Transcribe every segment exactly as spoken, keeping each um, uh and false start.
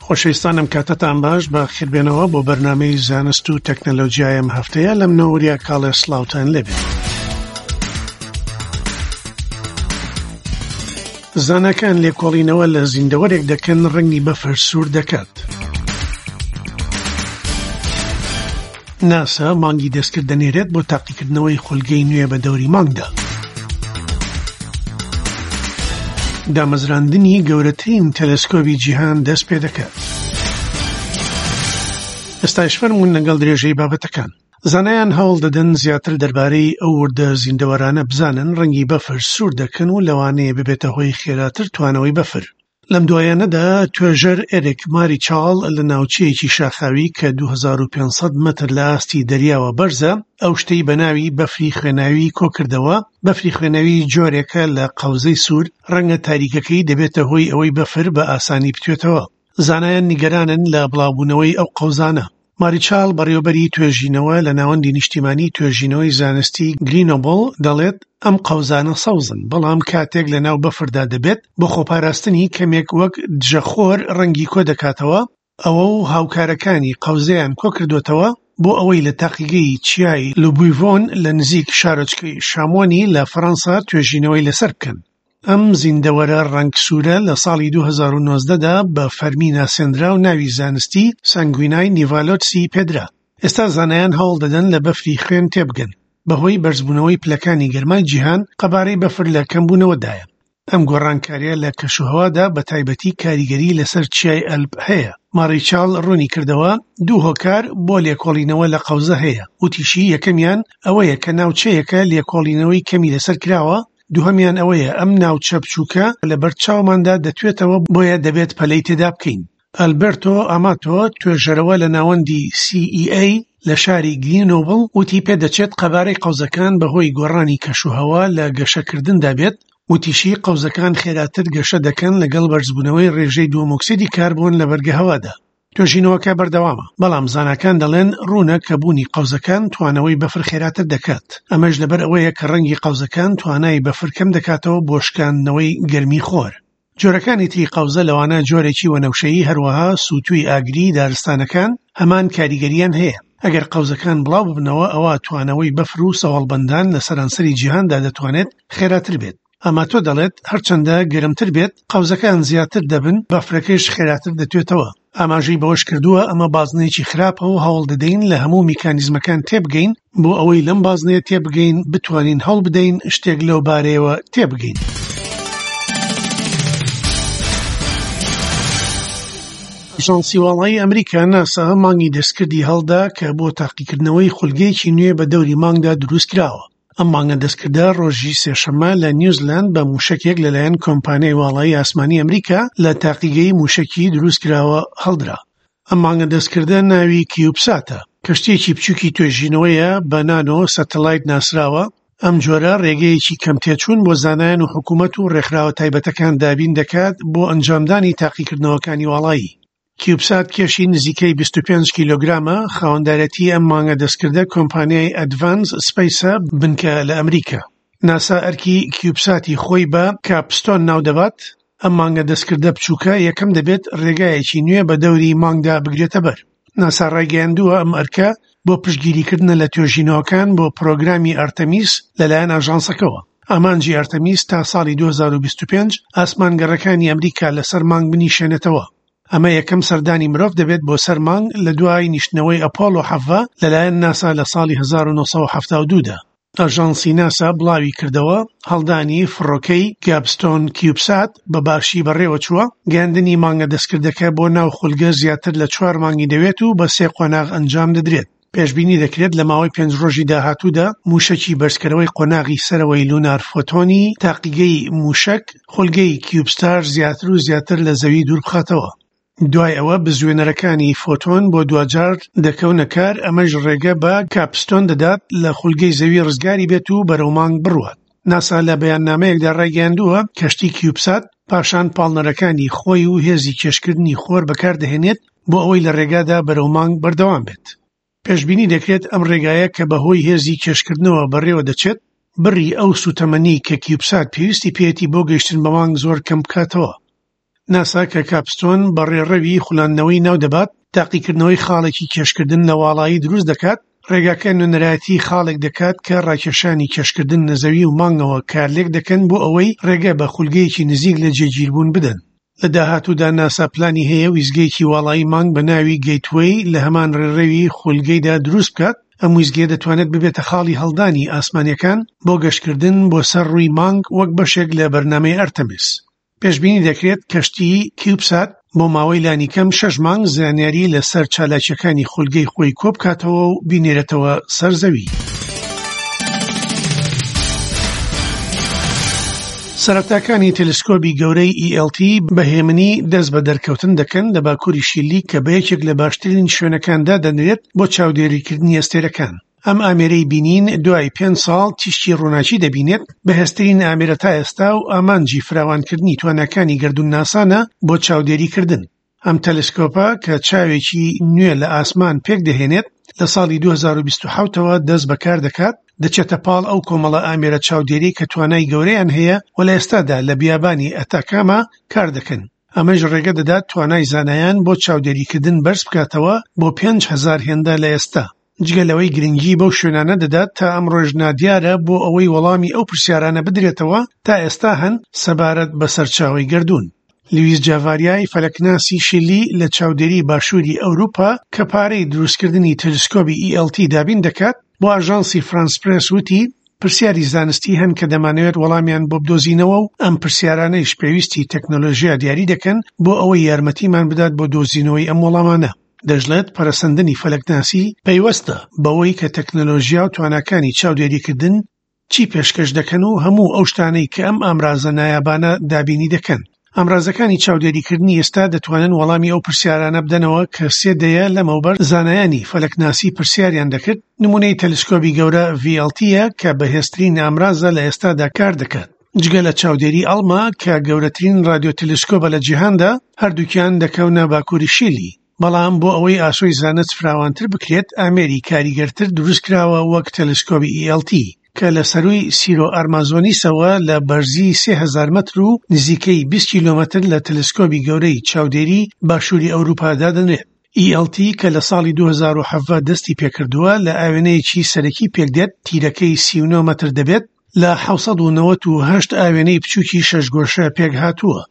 خۆشەویستان ئەم کاتەتان باش، بەخێربێنەوە بۆ بەرنامەی زانست و تەکنەلۆجیای ئەم هەفتەیە. لەم نەوریا کاڵێ سڵاوتان لێبێت. زاناکان لێکۆڵینەوە لە زیندەوەرێک دەکەن ڕەنگی بەفر سوور دەکات. ناسا مانگی دەستکرد دەنێرێت بۆ تاقیکردنەوەی خولگەی نوێ بە دەوری مانگدا. دامەزراندنی گەورەترین تەلەسکۆبی جیهان دەست پێ دەکات. ئێستاش فەرموون لەگەڵ درێژەی بابەتەکان. زانایان هەوڵ دەدەن زیاتر دەربارەی ئەو وردە زیندەوەرانە بزانن ڕەنگی بەفر سوور دەکەن و لەوانەیە ببێتە هۆی خێراتر توانەوەی بەفر. لەم دوایانەدا توێژەر ئێریک ماریچاڵ لە ناوچەیەکی شاخاوی کە دوو هەزار و پێنج سەد مەتر لە ئاستی دەریاوە بەرزە، ئەو شتەی بە ناوی بەفری خوێناوی کۆکردەوە. بەفری خوێناوی جۆرێکە لە قەوزەی سوور، ڕەنگە تاریکەکەی دەبێتە هۆی ئەوەی بەفر بە ئاسانی بتوێتەوە. زانایان نیگەرانن لە بڵاوبوونەوەی ئەو قەوزانە. ماریچاڵ بەڕێوەبەری توێژینەوە لە ناوەندی نیشتیمانی توێژینەوەی زانستی گرینۆبڵ دەڵێت ئەم قەوزانە سەوزن، بەڵام کاتێک لە ناو بەفردا دەبێت بۆ خۆپاراستنی کەمێک وەک دژەخۆر ڕەنگی کۆ دەکاتەوە. ئەوە و هاوکارەکانی قەوزەیان کۆ کردوتەوە بۆ ئەوەی لە تاقیگەی چیای لوبویڤۆن لە نزیک شارۆچکەی شامۆنی لە فەرەنسا توێژینەوەی لەسەر بکەن. ئەم زیندەوەرە ڕەنگ سوورە لە ساڵی دوو هەزار و نۆزدە دا بە فەرمی ناسێنرا و ناوی زانستی سانگوینای نیڤالۆتسی پێدرا. ئێستا زانایان هەوڵ دەدەن لە بەفری خوێن تێبگەن. بەهۆی بەرزبوونەوەی پلەکانی گەرمای جیهان قەبارەی بەفر لە کەمبوونەوەدایە. ئەم گۆڕانکاریە لە کەشوهەوادا بە تایبەتی کاریگەری لەسەر چیای ئەلپ هەیە. ماریچاڵ ڕوونی کردەوە دوو هۆکار بۆ لێکۆڵینەوە لە قەوزە هەیە. وتیشی یەکەمیان ئەوەیە کە ناوچەیەکە لێکۆڵینەوەی کەمی لەسەر کراوە، دووهەمیان ئەوەیە ئەم ناوچە بچووکە لەبەر چاوماندا دەتوێتەوە، بۆیە دەبێت پەلەی تێدا بکەین. ئەلبەرتۆ ئاماتۆ توێژەرەوە لە ناوەندی سی ئی ئەی لە شاری گرینۆبڵ وتی پێدەچێت قەبارەی قەوزەکان بەهۆی گۆڕانی کەشوهەوا لە گەشەکردندا بێت. وتیشی قەوزەکان خێراتر گەشە دەکەن لەگەڵ بەرزبوونەوەی ڕێژەی دووەمۆکسیدی کاربۆن لە بەرگەهەوادا. توێژینەوەکە بەردەوامە، بەڵام زاناکان دەڵێن ڕوونە کە بوونی قەوزەکان توانەوەی بەفر خێراتر دەکات. ئەمەش لەبەر ئەوەیە کە ڕەنگی قەوزەکان توانای بەفر کەم دەکاتەوە بۆ شکاندنەوەی گەرمی خۆر. جۆرەکانی تری قەوزە لەوانە جۆرێکی وەنەوشەیی، هەروەها سووتووی ئاگری دارستانەکان هەمان کاریگەریان هەیە. ئەگەر قەوزەکان بڵاو ببنەوە ئەوە توانەوەی بەفر و سەوەڵبەندان لە سەرانسەری جیهاندا دەتوانێت خێراتر بێت. ئاماتۆ دەڵێت هەرچەندە گەرمتر بێت قەوزەکان زیاتر دەبن، بەفرەکەش خێراتر دەتوێتەوە. ئاماژەی بەوەش کردووە ئەمە بازنەیەکی خراپە و هەوڵ دەدەین لە هەموو میکانیزمەکان تێبگەین بۆ ئەوەی لەم بازنەیە تێبگەین بتوانین هەوڵ بدەین شتێک لەو بارەیەوە تێبگەین. ئاژانسی واڵایی ئەمریکا ناسا مانگی دەستکردی هەڵدا کە بۆ تاقیکردنەوەی خولگەیەکی نوێ بە دەوری مانگدا دروست کراوە. ئەم مانگە دەستکردە ڕۆژی سێشەممە لە نیوزلەند بە موشەکێک لەلایەن کۆمپانیای واڵایی ئاسمانی ئەمریکا لە تاقیگەی موشەکی دروست کراوە هەڵدرا. ئەم مانگە دەستکردە ناوی کیوبساتە، کەشتییەکی بچووکی توێژینەوەیە بە نانۆ سەتەلایت ناسراوە. ئەم جۆرە ڕێگەیەکی کەم تێچوون بۆ زانایان و حکوومەت و ڕێکخراوە تایبەتەکان دابین دەکات بۆ ئەنجامدانی تاقیکردنەوەکانی واڵایی. کیوبسات کێشی نزیکەی بیست و پێنج کیلۆگرامە. خاوەندارەتی ئەم مانگە دەستکردە کۆمپانیای ئەدڤانس سپەیسە بنکە لە ئەمریکا. ناسا ئەرکی کیوبساتی خۆی بە کاپستۆن ناودەبات. ئەم مانگە دەستکردە بچووکە یەکەم دەبێت ڕێگایەکی نوێ بە دەوری مانگدا بگرێتە بەر. ناسا ڕایگەیاندووە ئەم ئەرکە بۆ پشتگیریکردنە لە توێژینەوەکان بۆ پرۆگرامی ئەرتەمیس لەلایەن ئاژانسەکەوە. ئامانجی ئەرتەمیس تا ساڵی دوو هەزار و بیست و پێنج ئاسمانگەڕەکانی ئەمریکا لەسەر مانگ بنیشێنێتەوە. ئەمە یەکەم سەردانی مرۆڤ دەبێت بۆ سەر مانگ لە دوای نیشتنەوەی ئەپۆلۆ حەڤە لەلایەن ناسا لە ساڵی هەزار و نۆ سەد و حەفتا و دوو دا. ئاژانسی ناسا بڵاوی کردەوە هەڵدانی فڕۆکەی گابستۆن کیوبسات بە باشی بەڕێوە چووە. گەیاندنی مانگە دەستکردەکە بۆ ناو خولگە زیاتر لە چوار مانگی دەوێت و بە سێ قۆناغ ئەنجام دەدرێت. پێشبینی دەکرێت لە ماوەی پێنج ڕۆژی داهاتوودا موشەکی بەرزکەرەوەی قۆناغی سەرەوەی لونار فۆتۆنی تاقیگەی موشەک خولگەی کیوبستار زیاتر و زیاتر لە زەوی دوور بخاتەوە. دوای ئەوە بزوێنەرەکانی فۆتۆن بۆ دواجار دەکەونە کار، ئەمەش ڕێگە بە کاپستۆن دەدات لە خولگەی زەوی ڕزگاری بێت و بەرەو مانگ بڕوات. ناسا لە بەیاننامەیەکدا ڕایگەیاندووە کەشتی کیوبسات پاشان پاڵنەرەکانی خۆی و هێزی کێشکردنی خۆر بەکاردەهێنێت بۆ ئەوەی لە ڕێگادا بەرەو مانگ بەردەوام بێت. پێشبینی دەکرێت ئەم ڕێگایە کە بەهۆی هێزی کێشکردنەوە بەڕێوە دەچێت بڕی ئەو سوتەمەنی کە کیوبسات پێویستی پێیەتی بۆ گەیشتن بە مانگ زۆر کەم بکاتەوە. ناسا کە کاپستۆن بە ڕێڕەوی خولاندنەوەی ناو دەبات، تاقیکردنەوەی خاڵێکی کێشکردن لە واڵایی دروست دەکات. ڕێگاکە نوێنەرایەتی خاڵێک دەکات کە ڕاکێشانی کێشکردن لە زەوی و مانگەوە کارلێک دەکەن بۆ ئەوەی ڕێگە بە خولگەیەکی نزیک لە جێگیربوون بدەن. لە داهاتوودا ناسا پلانی هەیە ویستگەیەکی واڵایی مانگ بە ناوی گەیتوەی لە هەمان ڕێڕەوی خولگەیدا دروست بکات. ئەم ویستگەیە دەتوانێت ببێتە خاڵی هەڵدانی ئاسمانیەکان بۆ گەشتکردن بۆ سەر ڕووی مانگ وەک بەشێک لە بەرنامەی ئەرتەمیس. پێشبینی دەکرێت کەشتی کیوبسات بۆ ماوەی لانیکەم شەش مانگ زانیاری لەسەر چالاکیەکانی خولگەی خۆی کۆبکاتەوە و بینێرێتەوە سەر زەوی. سەرەتاکانی تەلەسکۆبی گەورەی E L T بە هێمنی دەست بە دەرکەوتن دەکەن لە باکووری شیلی کە بە یەکێک لە باشترین شوێنەکان دادەنرێت بۆ چاودێریکردنی ئەستێرەکان. ئەم ئامێرەی بینین دوای پێنج ساڵ تیشکی ڕووناکی دەبینێت، بەهێزترین ئامێرە تا ئێستا و ئامانجی فراوانکردنی تواناکانی گەردوونناسانە بۆ چاودێریکردن. ئەم تەلەسکۆپە کە چاوێکی نوێ لە ئاسمان پێک دەهێنێت لە ساڵی دوو هەزار و بیست و حەوتەوە دەست بەکار دەکات، دەچێتە پاڵ ئەو کۆمەڵە ئامێرە چاودێری کە توانای گەورەیان هەیە و لە ئێستادا لە بیابانی ئەتاکاما کار دەکەن. ئەمەش ڕێگە دەدات توانای زانایان بۆ چاودێریکردن بەرز بکاتەوە بۆ پێنج هەزار هێندە لە ئێستا. جگە لەوەی گرنگی بەو شوێنانە دەدات تا ئەمڕۆژ نادیارە بۆ ئەوەی وەڵامی ئەو پرسیارانە بدرێتەوە تا ئێستا هەن سەبارەت بە سەرچاوەی گەردوون. لویس جاڤاریای فەلەکناسی شیلی لە چاودێری باشووری ئەوروپا کە پارەی دروستکردنی تەلەسکۆبی E L T دابین دەکات، بۆ ئاژانسی فرانس پرێس وتی پرسیاری زانستی هەن کە دەمانەوێت وەڵامیان بۆ بدۆزینەوە و ئەم پرسیارانەیش پێویستی تەکنەلۆژیا دیاری دەکەن بۆ ئەوەی یارمەتیمان بدات بۆ دۆزینەوەی ئەم وەڵامانە. دەشڵێت پەرەسەندنی فەلەکناسی پەیوەستە بەوەی کە تەکنەلۆژیا و تواناکانی چاودێریکردن چی پێشکەش دەکەن و هەموو ئەو شتانەی کە ئەم ئامرازە نایابانە دابینی دەکەن. ئامرازەکانی چاودێریکردنی ئێستا دەتوانن وەڵامی ئەو پرسیارانە بدەنەوە کە سێ دەیە لەمەوبەر زانایانی فەلەکناسی پرسیاریان دەکرد. نمونەی تەلەسکۆبی گەورە V L T کە بەهێزترین ئامرازە لە ئێستادا کار دەکات. جگە لە چاودێری ئەڵما کە گەورەترین رادیۆ تەلەسکۆبە لە جیهاندا، هەردووکیان دەکەونە باکووری شیلی. بەڵام بۆ ئەوەی ئاسۆی زانست فراوانتر بکرێت، ئامێری کاریگەرتر دروستکراوە وەک تەلەسکۆبی E L T کە لە سەرووی سیرۆ ئەرمازۆنیسەوە لە بەرزی سێ هەزار مەتر و نزیکەی بیست کیلۆمەتر لە تەلەسکۆبی گەورەی چاودێری باشووری ئەوروپا دادەنرێت. E L T کە لە ساڵی دوو هەزار و حەڤدە دەستی پێکردووە لە ئاوێنەیەکی سەرەکی پێکدێت، تیرەکەی سی و نۆ مەتر دەبێت، لە حەوسەد و نەوەت و هەشت ئاوێنەی بچووکی شەش گۆشە پێک هاتووە.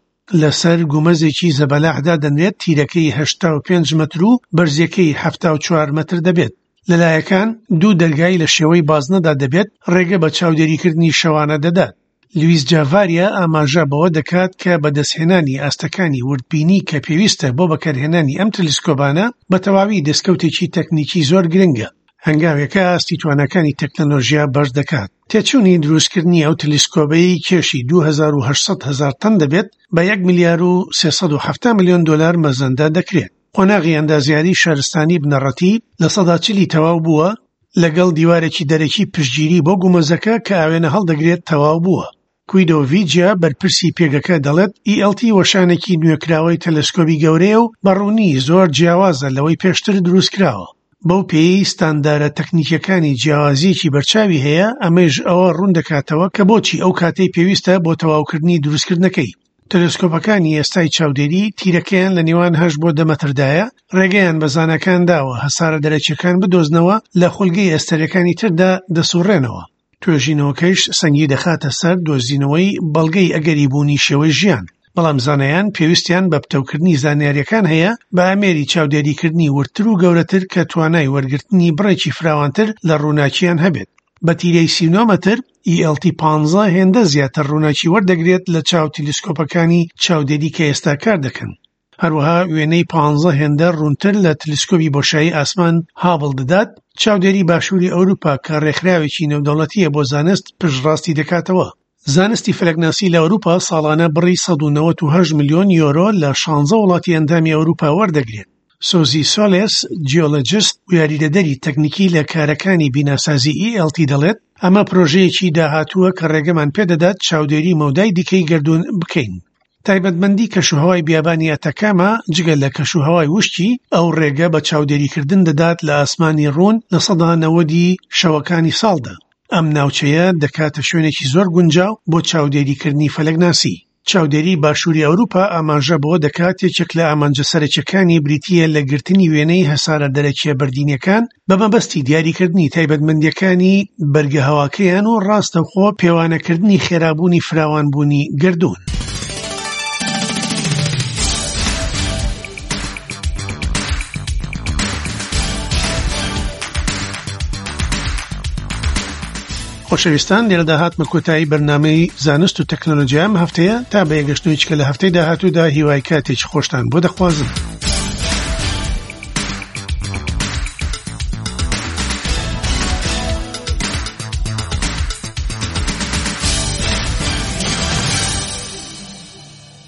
لەسەر گومەزێکی زەبەلاحدا دەنرێت، تیرەکەی هەشتا و پێنج مەتر و بەرزیەکەی حەفتا و چوار مەتر دەبێت. لەلایەکان دوو دەرگای لە شێوەی بازنەدا دەبێت، ڕێگە بە چاودێریکردنی شەوانە دەدات. لویس جاڤاریا ئاماژە بەوە دەکات کە بەدەستهێنانی ئاستەکانی وردبینی کە پێویستە بۆ بەکارهێنانی ئەم تەلەسکۆبانە بە تەواوی دەستکەوتێکی تەکنیکی زۆر گرنگە. هەنگاوێکە ئاستی تواناکانی تەکنەلۆژیا بەرز دەکات. تێچوونی دروستکردنی ئەو تەلەسکۆبەی کێشی دوو هەزار و هەشت سەد هەزار تەن دەبێت بە یەک ملیار و سێ سەد و حەفتا ملیۆن دلار مەزەندە دەکرێت. قۆناغی ئەندازیاری شارستانی بنەڕەتی لە سەدا چلی تەواو بووە، لەگەڵ دیوارێکی دەرەکی پشتگیری بۆ گومەزەکە کە ئاوێنە هەڵدەگرێت تەواو بووە. کویدۆ ڤیجیا بەرپرسی پێگەکە دەڵێت E L T وەشانێکی نوێکراوەی تەلەسکۆبی گەورەیە و بەڕوونی زۆر جیاوازە لەوەی پێشتر دروستکراوە. بەو پێی ستاندارە تەکنیکیەکانی جیاوازیەکی بەرچاوی هەیە، ئەمەش ئەوە ڕوون دەکاتەوە کە بۆچی ئەو کاتەی پێویستە بۆ تەواوکردنی دروستکردنەکەی. تەلەسکۆپەکانی ئێستای چاودێری تیرەکەیان لە نێوان هەشت بۆ دە مەتردایە، ڕێگەیان بە زاناکان داوە هەسارە دەرەکیەکان بدۆزنەوە لە خولگەی ئەستێرەکانی تردا دەسوڕێنەوە. توێژینەوەکەیش سەنگی دەخاتە سەر دۆزینەوەی بەڵگەی ئەگەری بوونی شێوەی ژیان، بەڵام زانایان پێویستیان بە پتەوکردنی زانیاریەکان هەیە بە ئامێری چاودێریکردنی وردتر و گەورەتر کە توانای وەرگرتنی بڕێکی فراوانتر لە ڕووناکیان هەبێت. بە تیرەی سی و نۆ مەتر E L T پانزە هێندە زیاتر ڕووناکی وەردەگرێت لە چاو تەلەسکۆپەکانی چاودێری کە ئێستا کار دەکەن. هەروەها وێنەی پانزە هێندە ڕوونتر لە تەلەسکۆبی بۆشایی ئاسمان هابڵ دەدات. چاودێری باشووری ئەوروپا کە ڕێکخراوێکی نێودەوڵەتیە بۆ زانست پشتڕاستی دەکاتەوە. زانستی فەلەکناسی لە ئەوروپا ساڵانە بڕی سەد و نەوەت و هەشت ملیۆن یۆرۆ لە شانزە وڵاتی ئەندامی ئەوروپا وەردەگرێت. سۆزی سۆلێس، جیۆلۆجیست و یاریدەدەری تەکنیکی لە کارەکانی بیناسازی E L T دەڵێت ئەمە پرۆژەیەکی داهاتووە کە ڕێگەمان پێدەدات چاودێری مەودای دیکەی گەردوون بکەین. تایبەتمەندی کەشوهەوای بیابانی ئەتەکاما جگە لە کەشوهەوای وشکی ئەو ڕێگە بە چاودێریکردن دەدات لە ئاسمانی ڕوون لە سەدا نەوەدی شەوەکانی ساڵدا. ئەم ناوچەیە دەکاتە شوێنێکی زۆر گونجاو بۆ چاودێریکردنی فەلەکناسی. چاودێری باشووری ئەوروپا ئاماژە بەوە دەکات یەکێک لە ئامانجە سەرەکیەکانی بریتییە لە گرتنی وێنەی هەسارە دەرەکیە بەردینیەکان بە مەبەستی دیاریکردنی تایبەتمەندیەکانی بەرگەهەواکەیان و ڕاستەوخۆ پێوانەکردنی خێرابوونی فراوانبوونی گەردوون. خۆشەویستان، لێرەدا هاتمە کۆتایی بەرنامەی زانست و تەکنەلۆژیا ئەم هەفتەیە. تا بە یەکگەشتنەوەی چکە لە هەفتەی داهاتوودا هیوای کاتێکی خۆشتان بۆ دەخوازم.